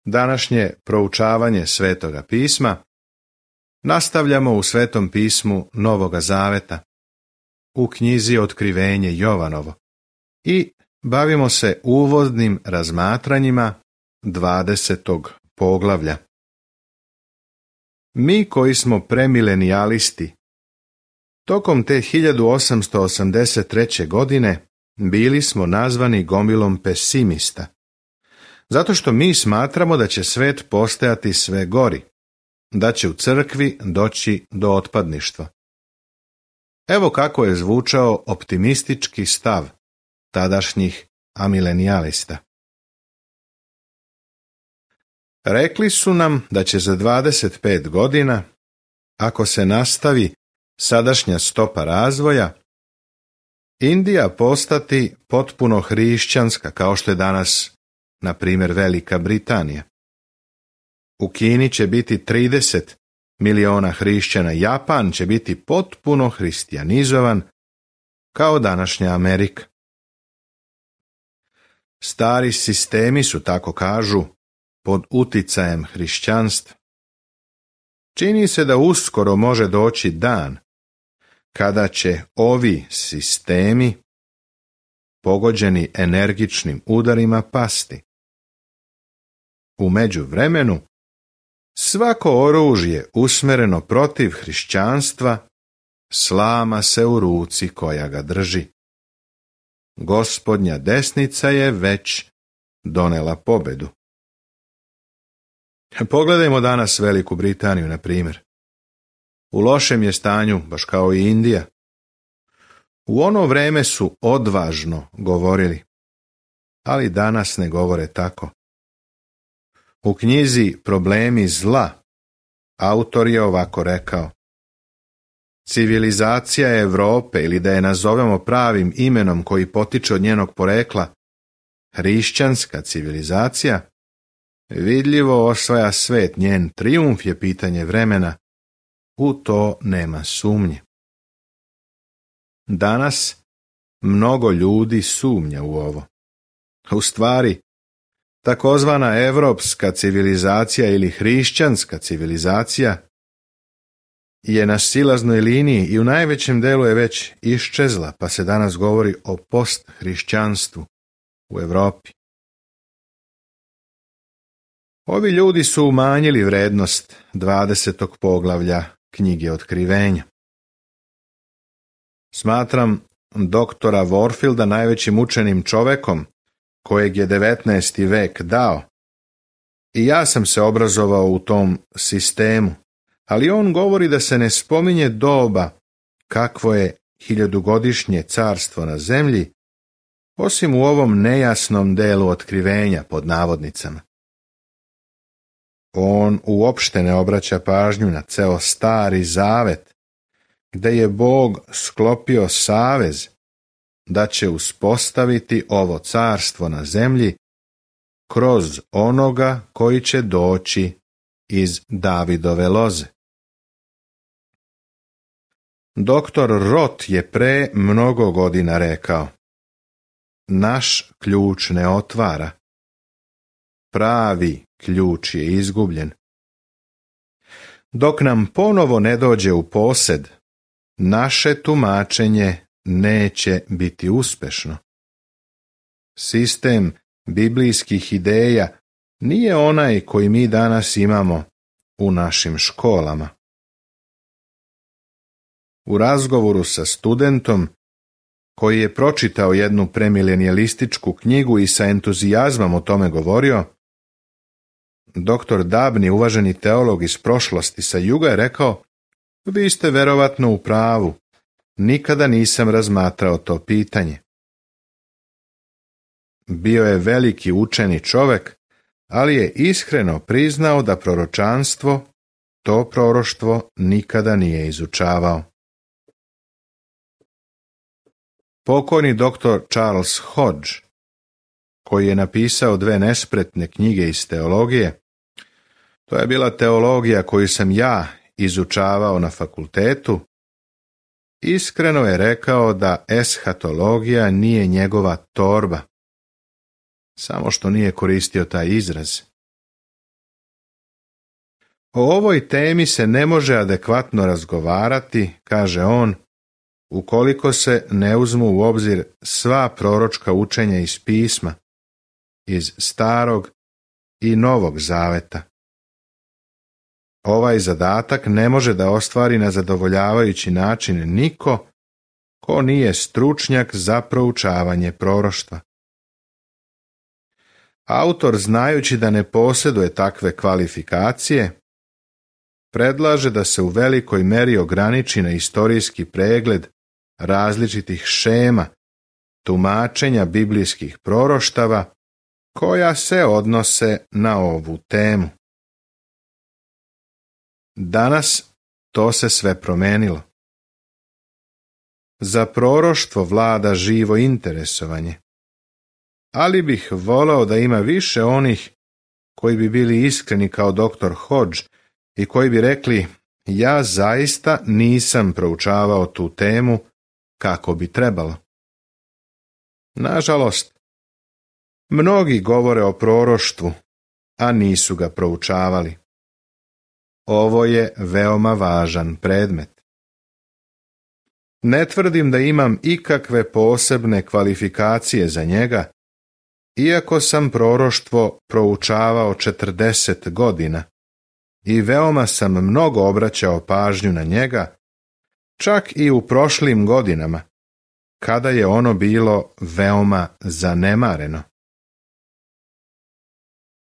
Današnje proučavanje Svetoga pisma nastavljamo u Svetom pismu Novoga Zaveta, u knjizi Otkrivenje Jovanovo i bavimo se uvodnim razmatranjima 20. poglavlja. Mi koji smo premilenijalisti, tokom te 1883. godine bili smo nazvani gomilom pesimista, zato što mi smatramo da će svet postajati sve gori, da će u crkvi doći do otpadništva. Evo kako je zvučao optimistički stav tadašnjih amilenijalista. Rekli su nam da će za 25 godina, ako se nastavi sadašnja stopa razvoja, Indija postati potpuno hrišćanska, kao što je danas, na primjer, Velika Britanija. U Kini će biti 30 miliona hrišćana, Japan će biti potpuno hristijanizovan, kao današnja Amerika. Stari sistemi su, tako kažu, pod uticajem hrišćanstva. Čini se da uskoro može doći dan kada će ovi sistemi, pogođeni energičnim udarima, pasti. U međuvremenu, svako oružje usmjereno protiv hrišćanstva slama se u ruci koja ga drži. Gospodnja desnica je već donela pobedu. Pogledajmo danas Veliku Britaniju, na primjer. U lošem je stanju, baš kao i Indija. U ono vreme su odvažno govorili, ali danas ne govore tako. U knjizi Problemi zla autor je ovako rekao: civilizacija Europe, ili da je nazovemo pravim imenom koji potiče od njenog porekla, hrišćanska civilizacija, vidljivo osvaja svet, njen trijumf je pitanje vremena, u to nema sumnje. Danas mnogo ljudi sumnja u ovo. U stvari, takozvana evropska civilizacija ili hrišćanska civilizacija je na silaznoj liniji i u najvećem delu je već iščezla, pa se danas govori o posthrišćanstvu u Europi. Ovi ljudi su umanjili vrednost 20. poglavlja knjige Otkrivenja. Smatram doktora Warfielda najvećim učenim čovekom kojeg je 19. vek dao. I ja sam se obrazovao u tom sistemu, ali on govori da se ne spominje doba kakvo je 1000-godišnje carstvo na zemlji, osim u ovom nejasnom delu otkrivenja pod navodnicama. On uopšte ne obraća pažnju na ceo Stari Zavet, gde je Bog sklopio savez da će uspostaviti ovo carstvo na zemlji kroz onoga koji će doći iz Davidove loze. Doktor Roth je pre mnogo godina rekao: naš ključ ne otvara, pravi ključ je izgubljen. Dok nam ponovo ne dođe u posed, naše tumačenje neće biti uspešno. Sistem biblijskih ideja nije onaj koji mi danas imamo u našim školama. U razgovoru sa studentom koji je pročitao jednu premilenijalističku knjigu i sa entuzijazmom o tome govorio, doktor Dabni, uvaženi teolog iz prošlosti sa juga, je rekao: vi ste verovatno u pravu, nikada nisam razmatrao to pitanje. Bio je veliki učeni čovek, ali je iskreno priznao da proročanstvo, to proroštvo, nikada nije izučavao. Pokojni doktor Charles Hodge, koji je napisao 2 nespretne knjige iz teologije, to je bila teologija koju sam ja izučavao na fakultetu, iskreno je rekao da eshatologija nije njegova torba, samo što nije koristio taj izraz. O ovoj temi se ne može adekvatno razgovarati, kaže on, ukoliko se ne uzmu u obzir sva proročka učenja iz pisma, iz Starog i Novog Zaveta. Ovaj zadatak ne može da ostvari na zadovoljavajući način niko ko nije stručnjak za proučavanje proroštva. Autor, znajući da ne posjeduje takve kvalifikacije, predlaže da se u velikoj meri ograniči na istorijski pregled različitih šema, tumačenja biblijskih proroštava koja se odnose na ovu temu. Danas to se sve promenilo. Za proroštvo vlada živo interesovanje, ali bih voleo da ima više onih koji bi bili iskreni kao dr. Hodge i koji bi rekli: ja zaista nisam proučavao tu temu kako bi trebalo. Nažalost, mnogi govore o proroštvu, a nisu ga proučavali. Ovo je veoma važan predmet. Ne tvrdim da imam ikakve posebne kvalifikacije za njega, iako sam proroštvo proučavao 40 godina i veoma sam mnogo obraćao pažnju na njega, čak i u prošlim godinama, kada je ono bilo veoma zanemareno.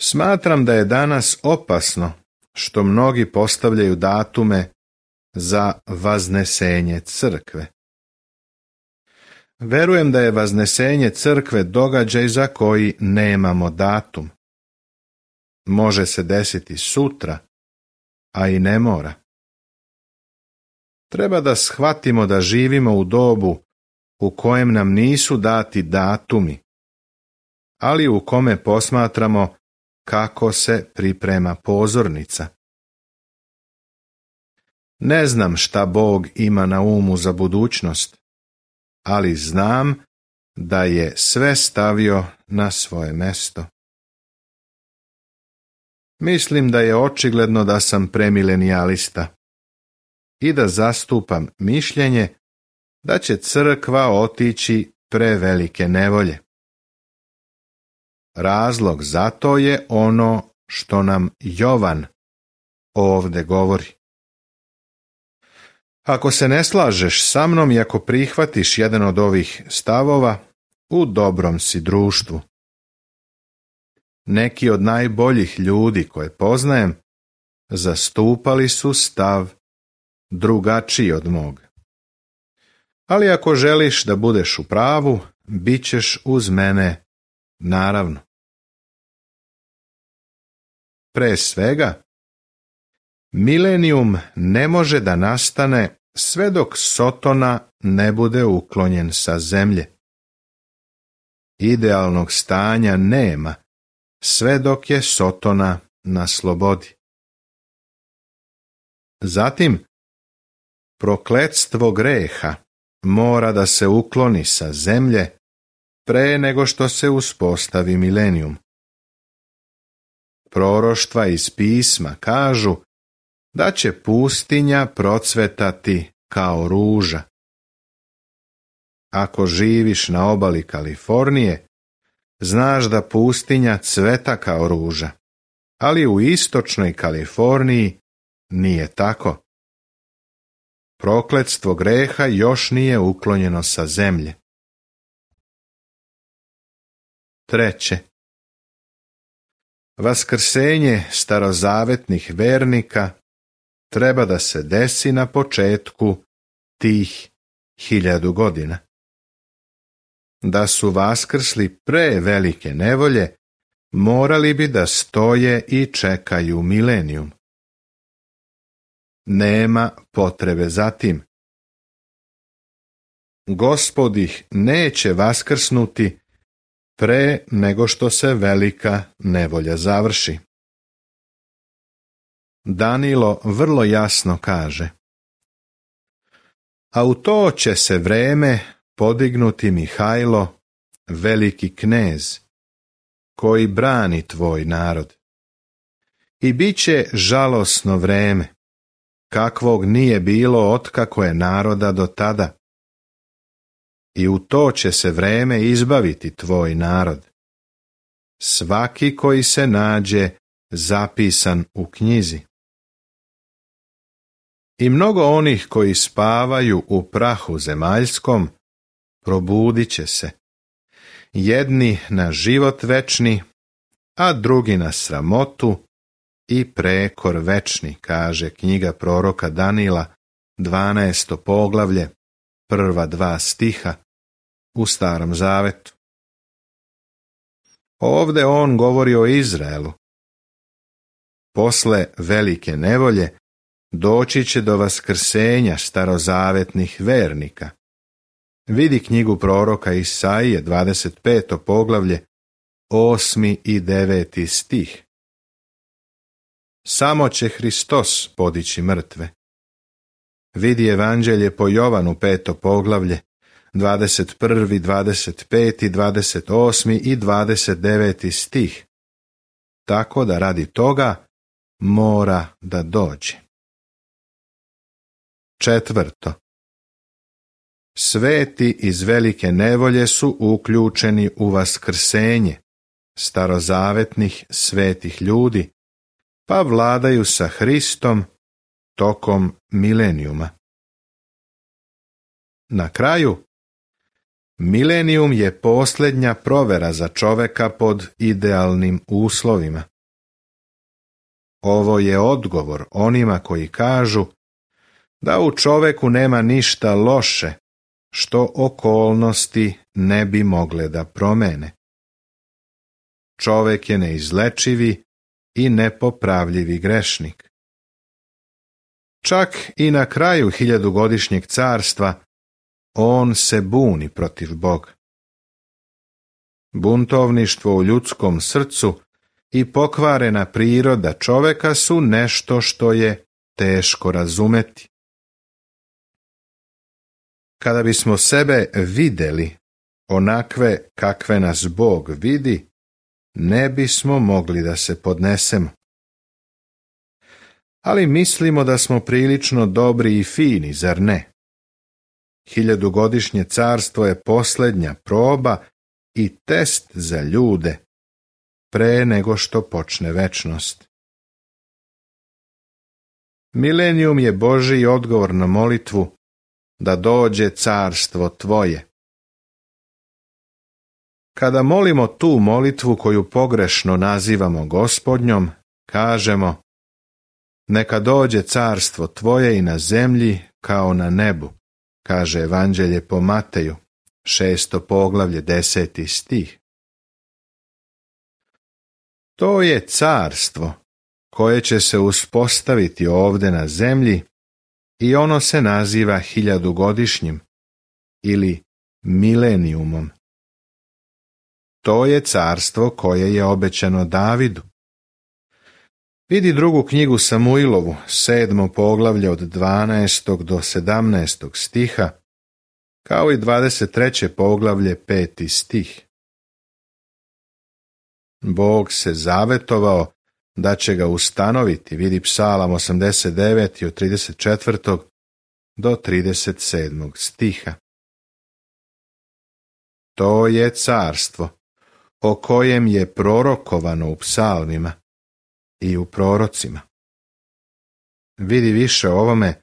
Smatram da je danas opasno što mnogi postavljaju datume za vaznesenje crkve. Verujem da je vaznesenje crkve događaj za koji nemamo datum. Može se desiti sutra, a i ne mora. Treba da shvatimo da živimo u dobu u kojem nam nisu dati datumi, ali u kome posmatramo kako se priprema pozornica. Ne znam šta Bog ima na umu za budućnost, ali znam da je sve stavio na svoje mesto. Mislim da je očigledno da sam premilenijalista i da zastupam mišljenje da će crkva otići prevelike nevolje. Razlog za to je ono što nam Jovan ovdje govori. Ako se ne slažeš sa mnom i ako prihvatiš jedan od ovih stavova, u dobrom si društvu. Neki od najboljih ljudi koje poznajem zastupali su stav drugačiji od mog. Ali ako želiš da budeš u pravu, bit ćeš uz mene, naravno. Pre svega, milenijum ne može da nastane sve dok Sotona ne bude uklonjen sa zemlje. Idealnog stanja nema sve dok je Sotona na slobodi. Zatim, prokletstvo greha mora da se ukloni sa zemlje pre nego što se uspostavi milenijum. Proroštva iz pisma kažu da će pustinja procvetati kao ruža. Ako živiš na obali Kalifornije, znaš da pustinja cveta kao ruža, ali u istočnoj Kaliforniji nije tako. Prokletstvo greha još nije uklonjeno sa zemlje. Treće, vaskrsenje starozavetnih vernika treba da se desi na početku tih 1000 godina. Da su vaskrsli pre velike nevolje, morali bi da stoje i čekaju milenijum. Nema potrebe za tim. Gospod ih neće vaskrsnuti pre nego što se velika nevolja završi. Danilo vrlo jasno kaže: a u to će se vreme podignuti Mihajlo, veliki knez, koji brani tvoj narod. i bit će žalosno vreme, kakvog nije bilo otkako je naroda do tada. I u to će se vreme izbaviti tvoj narod, svaki koji se nađe zapisan u knjizi. I mnogo onih koji spavaju u prahu zemaljskom probudit će se, jedni na život večni, a drugi na sramotu i prekor večni, kaže knjiga proroka Danila, 12. poglavlje, prva 2 stiha u Starom zavetu. Ovde on govori o Izraelu. Posle velike nevolje doći će do vaskrsenja starozavetnih vernika. Vidi knjigu proroka Isaije, 25. poglavlje, 8. i 9. stih. Samo će Hristos podići mrtve. Vidi Evanđelje po Jovanu, 5. poglavlje, 21., 25., 28. i 29. stih. Tako da radi toga mora da dođe. 4. Sveti iz velike nevolje su uključeni u vaskrsenje starozavetnih svetih ljudi, pa vladaju sa Hristom tokom milenijuma. Na kraju, milenijum je posljednja provera za čoveka pod idealnim uslovima. Ovo je odgovor onima koji kažu da u čoveku nema ništa loše što okolnosti ne bi mogle da promene. Čovek je neizlečivi i nepopravljivi grešnik. Čak i na kraju 1000-godišnjeg carstva on se buni protiv Boga. Buntovništvo u ljudskom srcu i pokvarena priroda čoveka su nešto što je teško razumeti. Kada bismo sebe videli onakve kakve nas Bog vidi, ne bismo mogli da se podnesemo. Ali mislimo da smo prilično dobri i fini, zar ne? 1000-godišnje carstvo je posljednja proba i test za ljude pre nego što počne večnost. Milenijum je Božji odgovor na molitvu da dođe carstvo tvoje. Kada molimo tu molitvu koju pogrešno nazivamo Gospodnjom, kažemo: neka dođe carstvo tvoje i na zemlji kao na nebu, kaže Evanđelje po Mateju, 6. poglavlje, 10. stih. To je carstvo koje će se uspostaviti ovde na zemlji i ono se naziva 1000-godišnjim ili milenijumom. To je carstvo koje je obećano Davidu. Vidi drugu knjigu Samuilovu, 7. poglavlje od 12. do 17. stiha, kao i 23. poglavlje, 5. stih. Bog se zavetovao da će ga ustanoviti, vidi Psalam 89. od 34. do 37. stiha. To je carstvo o kojem je prorokovano u psalmima i u prorocima. Vidi više o ovome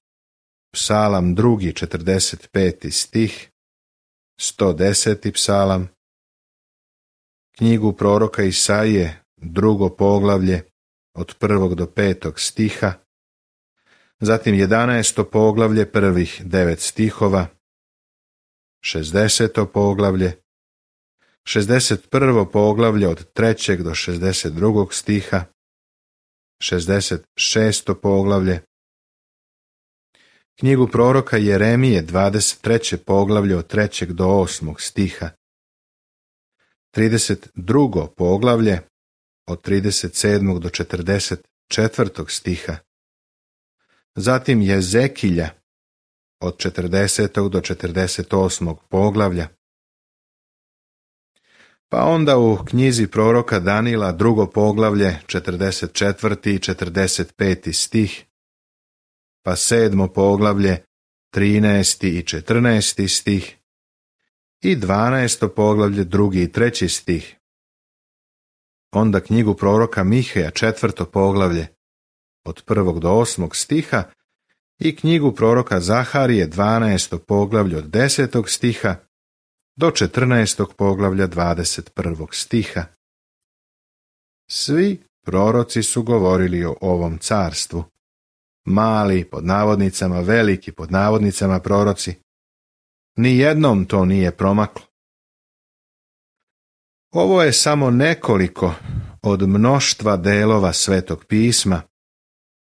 Psalam 2. 45. stih, 110. psalam, knjigu proroka Isaije, 2. poglavlje od 1. do 5. stiha, zatim 11. poglavlje, prvih 9 stihova, 60. poglavlje, 61. poglavlje od 3. do 62. stiha, 66. poglavlje, knjigu proroka Jeremije, 23. poglavlje od 3. do 8. stiha, 32. poglavlje od 37. do 44. stiha, zatim Jezekilja od 40. do 48. poglavlja. Pa onda u knjizi proroka Danila 2. poglavlje 44. i 45. stih, pa 7. poglavlje 13. i 14. stih i 12. poglavlje 2. i 3. stih. Onda knjigu proroka Miheja 4. poglavlje od 1. do 8. stiha i knjigu proroka Zaharije 12. poglavlje od 10. stiha do 14. poglavlja 21. stiha. Svi proroci su govorili o ovom carstvu. Mali, pod navodnicama, veliki, pod navodnicama proroci. Nijednom to nije promaklo. Ovo je samo nekoliko od mnoštva delova Svetog pisma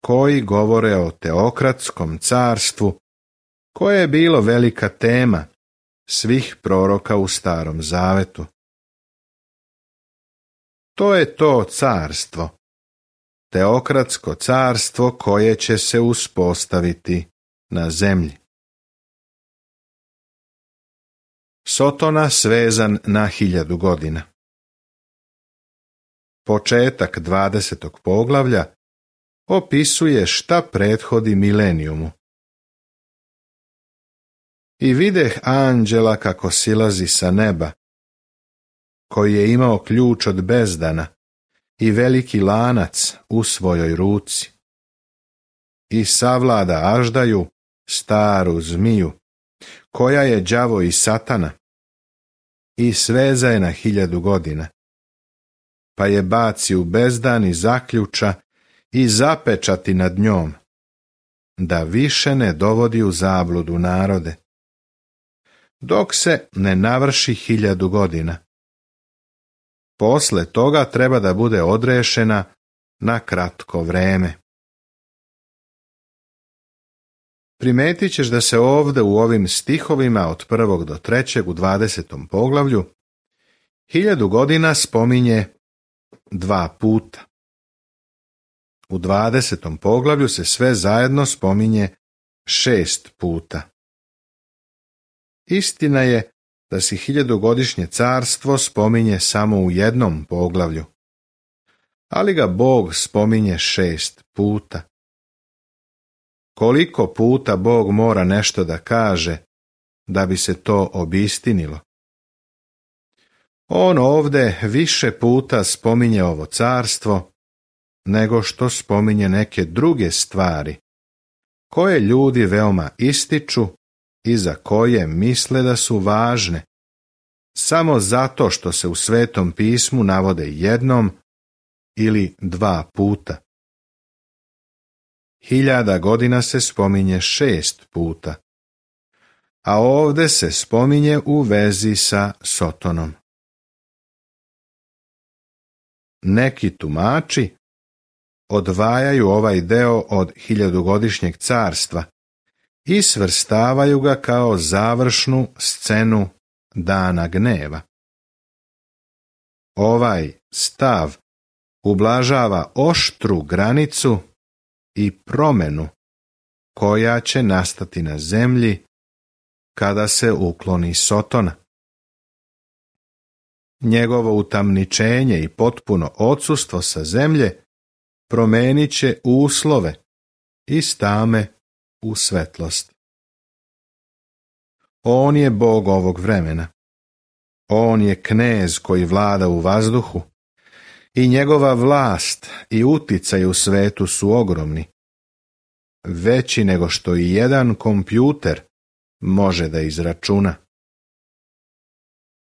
koji govore o teokratskom carstvu, koje je bilo velika tema svih proroka u Starom Zavetu. To je to carstvo, teokratsko carstvo koje će se uspostaviti na zemlji. Sotona svezan na 1000 godina. Početak 20. poglavlja opisuje šta prethodi milenijumu. I videh anđela kako silazi sa neba, koji je imao ključ od bezdana i veliki lanac u svojoj ruci. I savlada aždaju, staru zmiju, koja je đavo i satana, i sveza je na 1000 godina. Pa je baci u bezdan i zaključa i zapečati nad njom, da više ne dovodi u zabludu narode, dok se ne navrši 1000 godina. Posle toga treba da bude odrešena na kratko vreme. Primetit ćeš da se ovde u ovim stihovima od 1. do 3. u 20. poglavlju 1000 godina spominje 2 puta. U 20. poglavlju se sve zajedno spominje 6 puta. Istina je da se 1000-godišnje carstvo spominje samo u jednom poglavlju, ali ga Bog spominje 6 puta. Koliko puta Bog mora nešto da kaže da bi se to obistinilo? On ovde više puta spominje ovo carstvo nego što spominje neke druge stvari, koje ljudi veoma ističu i za koje misle da su važne, samo zato što se u Svetom pismu navode jednom ili 2 puta. 1000 godina se spominje 6 puta, a ovde se spominje u vezi sa Sotonom. Neki tumači odvajaju ovaj deo od 1000-godišnjeg carstva i svrstavaju ga kao završnu scenu dana gneva. Ovaj stav ublažava oštru granicu i promenu koja će nastati na zemlji kada se ukloni Sotona. Njegovo utamničenje i potpuno odsustvo sa zemlje promenit će uslove iz tame u svetlost. On je Bog ovog vremena. On je knez koji vlada u vazduhu i njegova vlast i uticaj u svetu su ogromni, veći nego što i jedan kompjuter može da izračuna.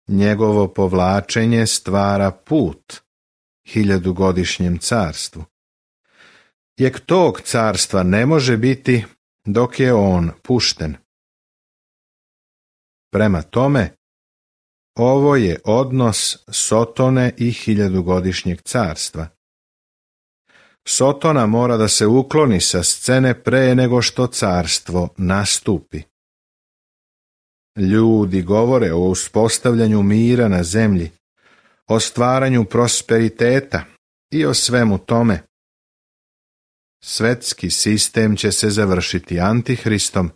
Njegovo povlačenje stvara put 1000-godišnjem carstvu. Jek tog carstva ne može biti dok je on pušten. Prema tome, ovo je odnos Sotone i 1000-godišnjeg carstva. Sotona mora da se ukloni sa scene pre nego što carstvo nastupi. Ljudi govore o uspostavljanju mira na zemlji, o stvaranju prosperiteta i o svemu tome. Svetski sistem će se završiti Antihristom,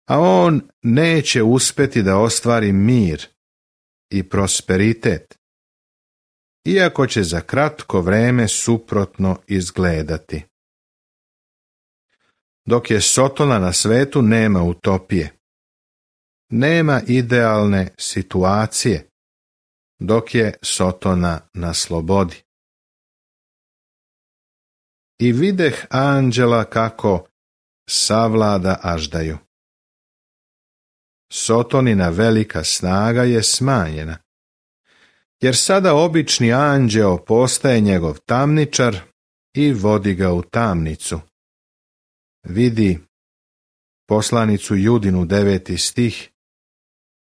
a on neće uspeti da ostvari mir i prosperitet, iako će za kratko vreme suprotno izgledati. Dok je Sotona na svetu, nema utopije. Nema idealne situacije, dok je Sotona na slobodi. I videh anđela kako savlada aždaju. Sotonina velika snaga je smanjena, jer sada obični anđeo postaje njegov tamničar i vodi ga u tamnicu. Vidi poslanicu Judinu 9. stih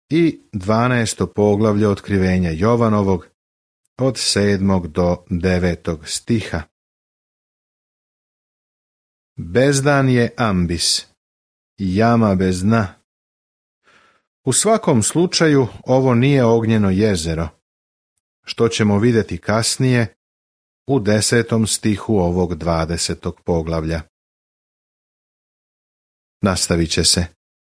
i 12. poglavlje otkrivenja Jovanovog od 7. do 9. stiha. Bezdan je ambis, jama bez dna. U svakom slučaju ovo nije ognjeno jezero, što ćemo vidjeti kasnije u 10. stihu ovog 20. poglavlja. Nastavit će se.